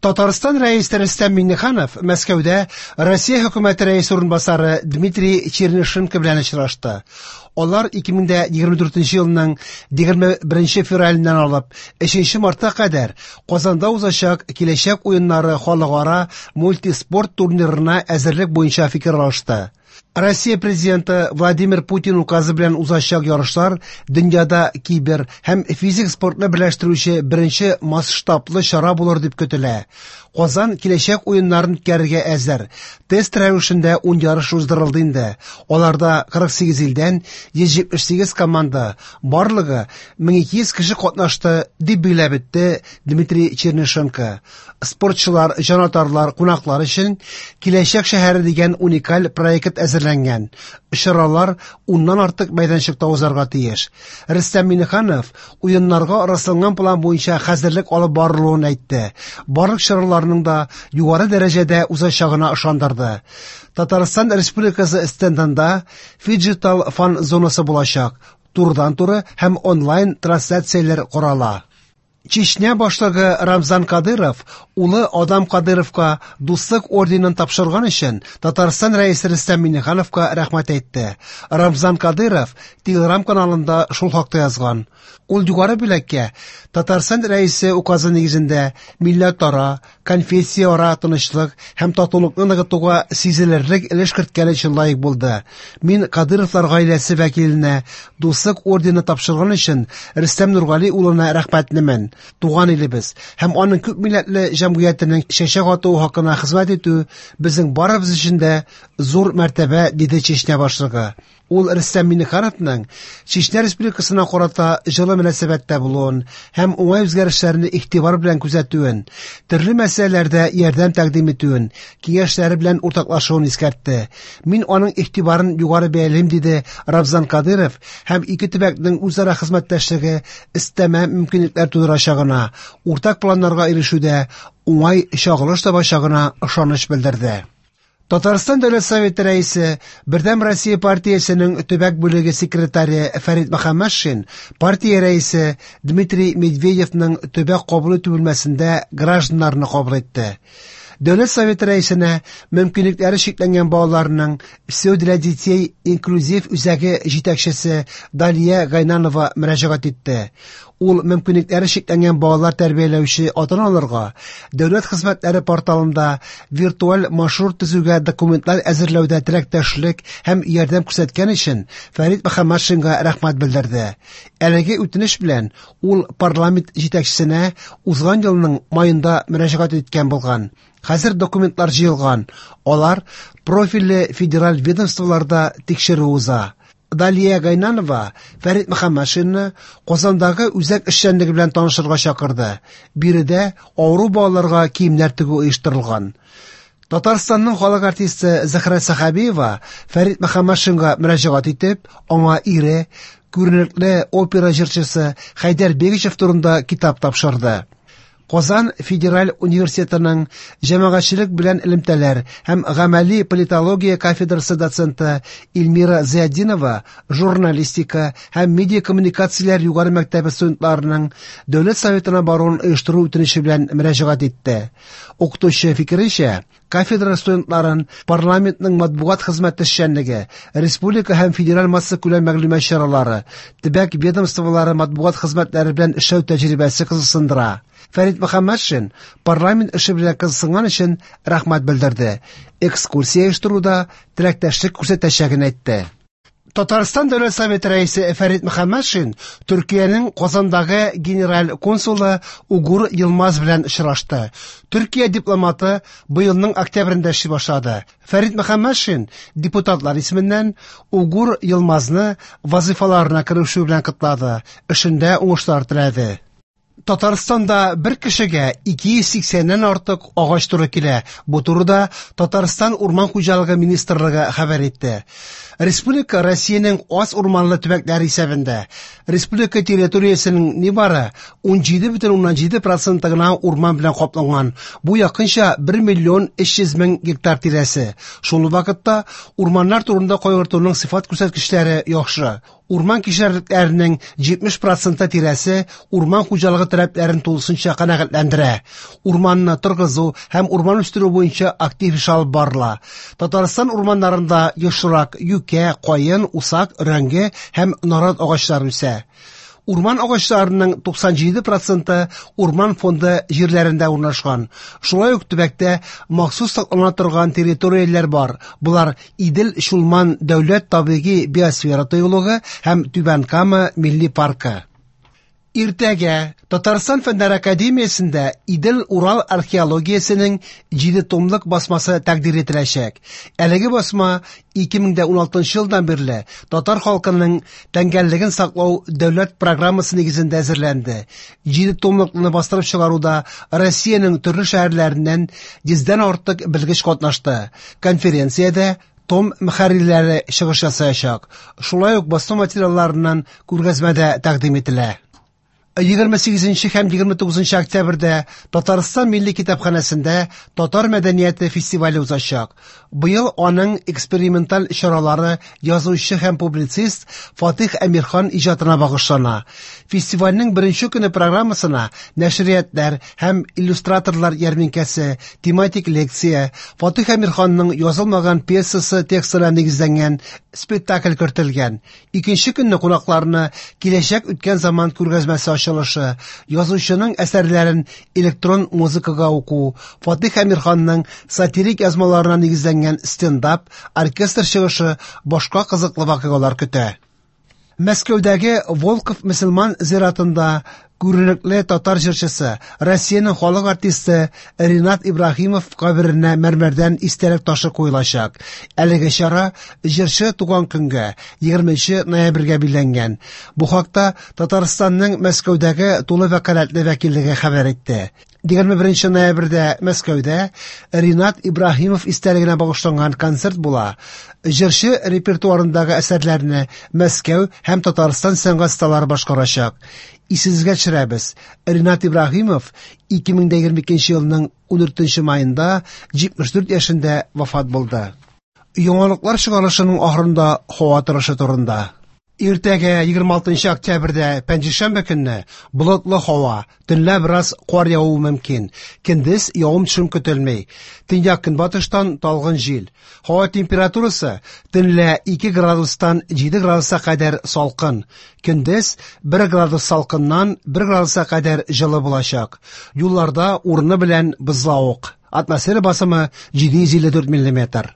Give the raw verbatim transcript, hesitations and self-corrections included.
Татарстан Рәисе Рөстәм Миңнеханов Мәскәүдә Россия хөкүмәте рәисе урынбасары Дмитрий Чернышенко белән очрашты. Алар ике мең егерме дүртенче елның егерме беренче февраленнән алып өченче мартка кадәр Казанда узачак Киләчәк уеннары халыкара мультиспорт турнирына әзерлек буенча фикер алышты. Россия президенты Владимир Путин указы белән узачак ярышлар дөньяда кибер һәм физик спортны берләштерүче беренче масштаблы чара булыр дип көтелә. Казан киләчәк уеннарын үткәрергә әзер. Тест рәвешендә ун ярыш уздырылды инде. Аларда кырык сигез илдән йөз җитмеш сигез команда, барлыгы мең ике йөз кеше катнашты, дип билгеләп үтте Дмитрий Чернышенко. Спортчылар, җанатарлар, кунаклар өчен Киләчәк шәһәре дигән уникаль проект әзерләнгән. Чаралар уннан артык мәйданчыкта узарга тиеш. Рөстәм Миңнеханов уеннарга расланган план буенча хәзерлек алып барылуын әйтте. Барлык чараларның да югары дәрәҗәдә узачагына ышандырды. Татарстан Республикасы стендында фиджитал фан зонасы булачак. Турыдан-туры һәм онлайн трансляцияләр карала. Чечня башлыгы Рамзан Кадыров улы Адам Кадыровка Дуслык орденын тапшырган өчен Татарстан Рәисе Рөстәм Миңнехановка рәхмәт әйтте. Рамзан Кадыров Телеграм каналында шул хакта язган. Ул югары бүләккә Татарстан Рәисе указы нигезендә милләтара, конфессияара тынычлык һәм татулыкны ныгытуга сизелерлек өлеш керткән өчен лаек булды. Мин Кадыровлар гаиләсе вәкиленә Дуслык ордены тапшырган өчен Рөстәм Нургали улына рәхмәтлемен. Туган илебез һәм аның күп милләтле җәмгыятенең чәчәк атуы хакына хезмәт итү безнең барыбыз өчен дә зур мәртәбә, диде Чечня башлыгы. Ул Рөстәм Миңнехановның Чечня Республикасына карата җылы мөнәсәбәттә булуын һәм уңай үзгәрешләрне игътибар белән күзәтүен, төрле мәсьәләләрдә ярдәм тәкъдим итүен, киңәшләре белән уртаклашуын искәртте. Мин аның игътибарын югары бәялим, диде Рамзан Кадыров һәм ике төбәкнең үзара хезмәттәшлеге өстәмә мөмкинлекләр тудырачагына, уртак планнарга ирешүдә уңай чагылыш табачагына ышаныч белдерде. Татарстан Дәүләт Советы рәисе, Бердәм Россия партиясенең төбәк бүлеге секретаре Фәрит Мөхәммәтшин партия рәисе Дмитрий Медведевның төбәк кабул итү бүлмәсендә гражданнарны кабул итте. Дәүләт Советы рәисенә мөмкинлекләре чикләнгән балаларның Все для детей инклюзив үзәге җитәкчесе Далия Гайнанова мөрәҗәгать итте. Ул мөмкинлекләре чикләнгән балалар тәрбияләүче ата-аналарга дәүләт хезмәтләре порталында виртуаль маршрут төзүгә документлар әзерләүдә теләктәшлек һәм ярдәм күрсәткән өчен Фәрит Мөхәммәтшинга рәхмәт белдерде. Әлеге үтенеч белән ул парламент җитәкчесенә узган елның майында мөрәҗәгать иткән булган. Хәзер документлар җыелган. Алар профильле федераль ведомстволарда тикшерү уза. Далия Гайнанова Фәрит Мөхәммәтшинны Казандагы үзәк эшчәнлеге белән танышырга чакырды. Биредә авыру балаларга киемнәр тегү оештырылган. Татарстанның халык артисты Зөһрә Сәхәбиева Фәрит Мөхәммәтшинга мөрәҗәгать итеп, аңа ире, күренекле опера җырчысы Хәйдәр Бигичев турында китап тапшырды. Казан Федераль университетының җәмәгатьчелек белән элемтәләр һәм гамәли политология кафедрасы доценты Эльмира Зиятдинова журналистика һәм медиа коммуникацияләр югары мәктәбе студентларының Дәүләт Советына баруын оештыру үтенече белән мөрәҗәгать итте. Укытучы фикеренчә, кафедра студентларын парламентның матбугат хезмәте эшчәнлеге, республика һәм федераль массакүләм мәгълүмат чаралары, төбәк ведомстволары матбугат хезмәтләре белән эшләү тәҗрибәсе кызыксындыра. Фәрит Мөхәммәтшин парламент эше белән кызыксынган өчен рәхмәт белдерде. Экскурсия оештыруда теләктәшлек күрсәтәчәген әйтте. Татарстан Дәүләт Советы рәисе Фәрит Мөхәммәтшин Төркиянең Казандагы генераль консулы Угур Йылмаз белән очрашты. Төркия дипломаты быелның октябрендә эшли башлады. Фәрит Мөхәммәтшин депутатлар исеменнән Угур Йылмазны вазифаларына керешү белән котлады, эшендә уңышлар теләде. Татарстанда бер кешегә ике йөз сиксәннән артык агач туры килә. Бу турыда Татарстан Урман хуҗалыгы министрлыгы хәбәр итте. Республика Россиянең аз урманлы төбәкләре исәбендә. Республика территориясенең нибары ун җиде бөтен уннан җиде проценты гына урман белән капланган. Бу якынча бер миллион өч йөз мең гектар тирәсе. Шул ук вакытта урманнар турында кайгыртуның сыйфат күрсәткечләре яхшы. Урман кишәрлекләренең җитмеш проценты тирәсе урман хуҗалыгы таләпләрен тулысынча канәгатьләндерә. Урманны торгызу һәм урман үстерү буенча актив эш алып барыла. Татарстан урманнарында ешрак юкә, каен, усак, өрәңге һәм нарат агачлары үсә. Урман агачларының туксан җиде проценты урман фонды җирләрендә урнашкан. Шулай ук төбәктә махсус саклана торган территорияләр бар. Булар Идел-Чулман дәүләт табигый биосфера тыюлыгы һәм Түбән Кама милли паркы. Иртәгә Татарстан Фәннәр академиясендә Идел-Урал археологиясенең җиде томлык басмасы тәкъдир ителәчәк. Әлеге басма ике мең дә уналтынчы елдан бирле татар халкының тәңгәллеген саклау дәүләт программасы нигезендә әзерләнде. Җиде томлыкны бастырып чыгаруда Россиянең төрле шәһәрләреннән йөздән артык белгеч катнашты. Конференциядә том мөхәррирләре чыгыш ясаячак. Шулай ук басма материалларыннан күргәзмәдә тәкъдим ителә. Егерме сигезенче һәм егерме тугызынчы октябрьдә Татарстан Милли китапханәсендә Татар мәдәнияте фестивале узачак. Быел аның эксперименталь чаралары язучы һәм публицист Фатих Әмирхан иҗатына багышлана. Фестивальнең беренче көне программасына нәшриятлар һәм иллюстраторлар ярминкәсе, тематик лекция, Фатих Әмирханның язылмаган пьесасы текстына нигезләнгән спектакль кертелгән. Икенче көнне кунакларны Киләчәк үткән заман күргәзмәсе ачылышы, язучының әсәрләрен электрон музыкага уку, Фатих Әмирханның сатирик язмаларына нигезләнгән стендап, оркестр чыгышы, башка кызыклы вакыйгалар көтә. Мәскәүдәге Волков мөселман зиратында күренекле татар җырчысы, Россиянең халык артисты Ринат Ибраһимов каберенә мәрмәрдән истәлек ташы куелачак. Әлеге чара җырчы туган көнгә, егерменче ноябрьгә билгеләнгән. Бу хакта Татарстанның Мәскәүдәге тулы вәкаләтле вәкиллеге хәбәр итте. Егерме беренче ноябрьдә Мәскәүдә Ринат Ибраһимов истәлегенә багышланган концерт була. Җырчы репертуарындагы әсәрләрне Мәскәү һәм Татарстан сәнгать осталары башкарачак. Исегезгә төшерәбез, Ринат Ибраһимов ике мең дә егерме икенче елның ундүртенче маенда җитмеш дүрт яшендә вафат булды. Яңалыклар чыгарылышының ахырында һава торышы турында. Иртәгә егерме алтынчы октябрьдә пәнҗешәмбе көнне болытлы һава, төнлә бераз кар явуы мөмкин. Көндез явым-төшем көтелми. Төньяк көнбатыштан талгын җил. Һава температурасы төнлә ике градустан җиде градуска кадәр салкын. Көндез бер градус салкыннан бер градуска кадәр җылы булачак. Юлларда урыны белән бозлавык. Атмосфера басымы җиде йөз илле дүрт миллиметр.